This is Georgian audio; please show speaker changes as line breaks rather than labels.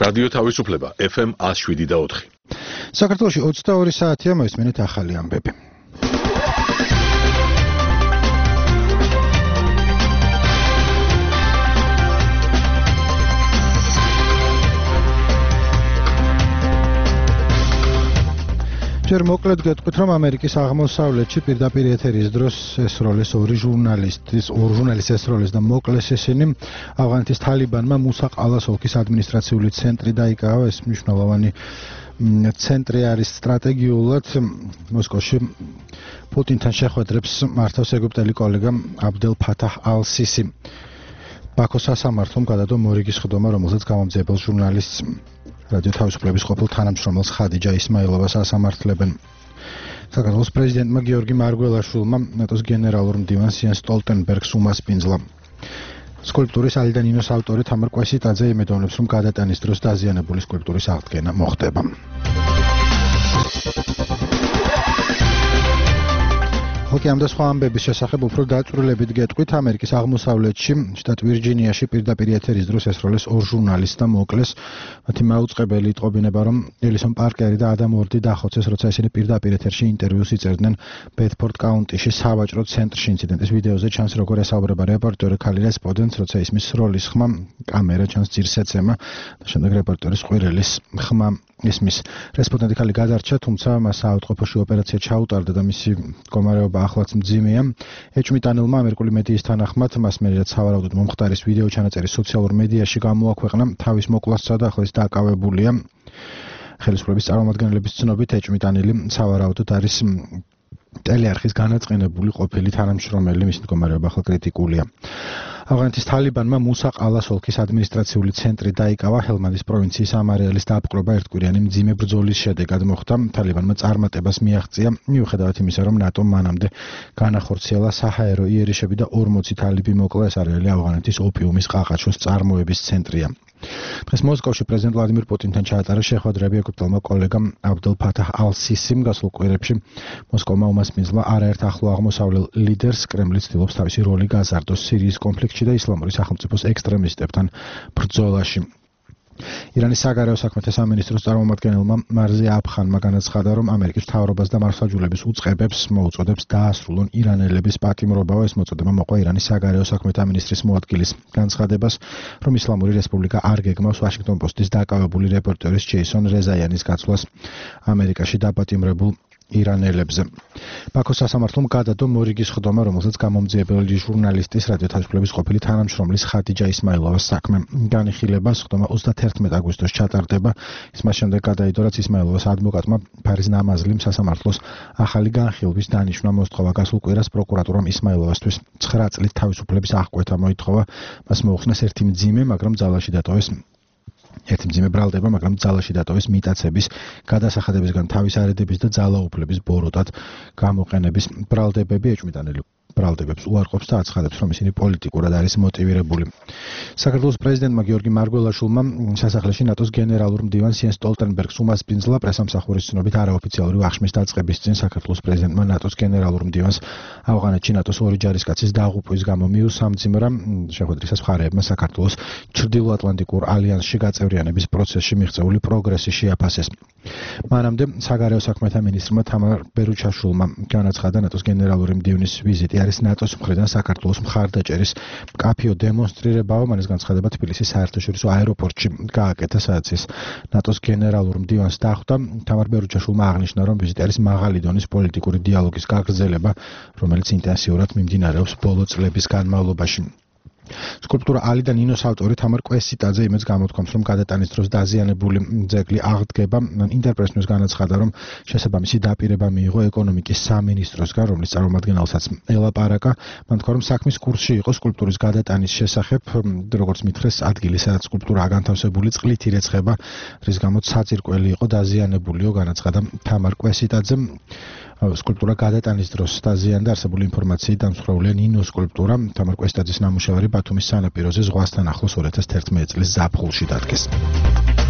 რადიო თავისუფლება FM 107.4.
საქართველოში 22 საათია, მოისმენთ ახალი ამბები. ჯერ მოკლედ გეტყვით, რომ ამერიკის აღმოსავლეთში პირდაპირ ეთერის დროს ესროლეს ორი ჟურნალისტის ესროლეს და მოკლეს ისინი. ავღანეთის თალიბანმა მუსა ყალას ოლქის ადმინისტრაციული ცენტრი დაიკავა. ეს მნიშვნელოვანი ცენტრი არის სტრატეგიულად მოსკოვში პუტინთან შეხვედრებს მართავს ეგვიპტელი კოლეგა აბდელ ფათაჰ ალ-სისი. ბაქოს სასამართლომ გადადო მორიგის ხდომა, რომელზეც გამომძიებელ ჟურნალისტს რადიო თავისუფლების ყოფილ თანამშრომელს ხადიჯა ისმაილოვას ასამართლებენ. საქართველოს პრეზიდენტმა გიორგი მარგველაშვილმა ნატოს გენერალურ მდივანს იენს სტოლტენბერგს უმასპინძლა. სკულპტურის ალიდა ნინოს ავტორი თამარ კვესიტაძე იმედოვნებს, რომ გადატანის დროს დაზიანებული სკულპტურის აღდგენა მოხდება. ხოქი ამ და სხვა ამბების შესახებ უფრო დაწვრილებით გეტყვით. ამერიკის აღმოსავლეთში, შტატ ვირჯინიაში პირდაპირ ეთერის დროს ესროლეს ორ ჟურნალისტს და მოკლეს. მათი მაუწყებელი იტყობინება, რომ ელისონ პარკერი და ადამ ორდი დახოცეს, როცა ისინი პირდაპირ ეთერში ინტერვიუს იწერდნენ ბედფორდ კაუნტიში სავაჭრო ცენტრში. ინციდენტის ვიდეოზე ჩანს, როგორ ესაუბრება რეპორტერი ქალი რესპონდენტს, როცა ისმის სროლის ხმა, კამერა ჩანს ძირს ეცემა და შემდეგ რეპორტერის ყვირილის ხმა ისმის. რესპონდენტი ქალი გადარჩა, თუმცა მას საავადმყოფოში ოპერაცია ჩაუტარდა და მისი მდგომარეობა ახლაც მძიმეა. ეჭვმიტანილმა ამერიკული მედიის თანახმად მას მერეც სავარაუდოდ მომხდარის ვიდეო ჩანაწერი სოციალურ მედიაში გამოაქვეყნა. თავის მოკლასსა და ახლა ის დაკავებულია. ხელისუფლების წარმომადგენლების ცნობით ეჭვმიტანილი სავარაუდოდ არის ტელეარხის განაწყენებული ყოფილი თანამშრომელი, მისი მდგომარეობა ახლა კრიტიკულია. ავღანეთის თალიბანმა მუსა ყალას ოლქის ადმინისტრაციული ცენტრი დაიკავა. ჰელმანდის პროვინციის ამარეალის დაპყრობა ერთკვირიანი მძიმე ბრძოლის შედეგად მოხდა. თალიბანმა წარმატებას მიაღწია, მიუხედავად იმისა, რომ ნატომ მანამდე განახორციელა საჰაერო იერიშები და 40 თალიბი მოკლა. ეს არეალი ავღანეთის ოპიუმის ყაყაჩოს წარმოების ცენტრია. დღეს მოსკოვში პრეზიდენტ ვლადიმირ პუტინთან ჩაატარა შეხვედრები ეგვიპტელმა კოლეგამ აბდელ ფათაჰ ალ-სისიმ. გასულ კვირებში მოსკოვმა უმასპინძლა არაერთ ახლო აღმოსავლელ ლიდერს. კრემლი ცდილობს თავისი როლი გაზარდოს სირიის კონფლიქტში და ისლამური სახელმწიფოს ექსტრემისტებთან ბრძოლაში. ირანის საგარეო საქმეთა სამინისტროს წარმომადგენელმა მარზი აფხანმა განაცხადა, რომ ამერიკის მთავრობას და მართლმსაჯულების უწყებებს მოუწოდებს დაასრულონ ირანელების პატიმრობა. ეს მოწოდება მოყვა ირანის საგარეო საქმეთა მინისტრის მოადგილის განცხადებას, რომ ისლამური რესპუბლიკა არ გეგმავს ვაშინგტონ პოსტის დაკავებული რეპორტერის ჯეისონ რეზაიანის გაცვლას ამერიკაში დაპატიმრებულ ირანელებზე. ბაქოს სასამართლომ გადადო მორიგის ხდომა, რომელზეც გამომძიებელი ჟურნალისტის რადიო თავისუფლების ყოფილი თანამშრომლის ხადიჯა ისმაილოვას საქმე განიხილება. ხდომა 31 აგვისტოს ჩატარდება. ის მას შემდეგ გადაიდო, რაც ისმაილოვას ადვოკატმა ფარიზ ნამაზლიმ სასამართლოს ახალი განხილვის დანიშვნა მოსთხოვა. გასულ კვირას პროკურატურამ ისმაილოვასთვის 9 წლით თავისუფლების აღკვეთა მოითხოვა. მას მოუხსნეს ერთი მძიმე ბრალდება, მაგრამ ძალაში დატოვეს მიტაცების, გადასახადებისგან თავის არიდების და ძალაუფლების ბოროტად გამოყენების ბრალდებები. ეჭვმიტანილი ბრალდებებს უარყოფს და აცხადებს, რომ ისინი პოლიტიკურად არის მოტივირებული. საქართველოს პრეზიდენტმა გიორგი მარგველაშვილმა სასახლეში ნატოს გენერალურ მდივანს იენს სტოლტენბერგს უმასპინძლა. პრესამსახურის ცნობით არაოფიციალური აღშმის დაწყების წინ საქართველოს პრეზიდენტმა ნატოს გენერალურ მდივანს ავღანეთში ნატოს ორი ჯარისკაცის დაღუპვის გამო მიუსამძიმრა. შეხვედრისას მხარეებმა საქართველოს ჩრდილოატლანტიკურ ალიანსში გაწევრიანების პროცესში მიღწეული პროგრესი შეაფასეს. მანამდე საგარეო საქმეთა მინისტრმა თამარ ბერუჩაშვილმა განაცხადა, ნატოს გენერალური მდივნის ვიზიტი არის ნატოს მხრიდან საქართველოს მხარდაჭერის მკაფიო დემონსტრირებაა. მან ეს განცხადება თბილისის საერთაშორისო აეროპორტში გააკეთა, სადაც ის ნატოს გენერალურ მდივანს დახვდა. თამარ ბერუჩაშვილმა აღნიშნა, რომ ვიზიტი არის მაღალი დონის პოლიტიკური დიალოგის გაგრძელება, რომელიც ინტენსიურად მიმდინარეობს ბოლო წლების განმავლობაში. სკულპტურა ალიდა ნინოს ავტორი თამარ კვესიტაძე იმედს გამოთქვამს, რომ გადატანის დროს დაზიანებული ძეგლი აღდგება. ინტერპრესს განაცხადა, რომ შესაბამისი დაპირება მიიღო ეკონომიკის სამინისტროსგან, რომლის წარმომადგენელსაც ელაპარაკა. მან თქვა, რომ საქმის კურსში იყო სკულპტურის გადატანის შესახებ, როგორც მითხრეს, ადგილი, სადაც სკულპტურაა განთავსებული, წყლით ირეცხება, რის გამოც საძირკველი იყო დაზიანებულიო, განაცხადა თამარ კვესიტაძემ. სკულპტურა გადატანის დროს დაზიანდა. არსებული ინფორმაციით დამსხვრეულია ნინოს სკულპტურა. თამარ კვესიტაძის ნამუშევარი ბათუმის სანაპიროზე ზღვასთან ახლოს 2011 წლის ზაფხულში დადგეს.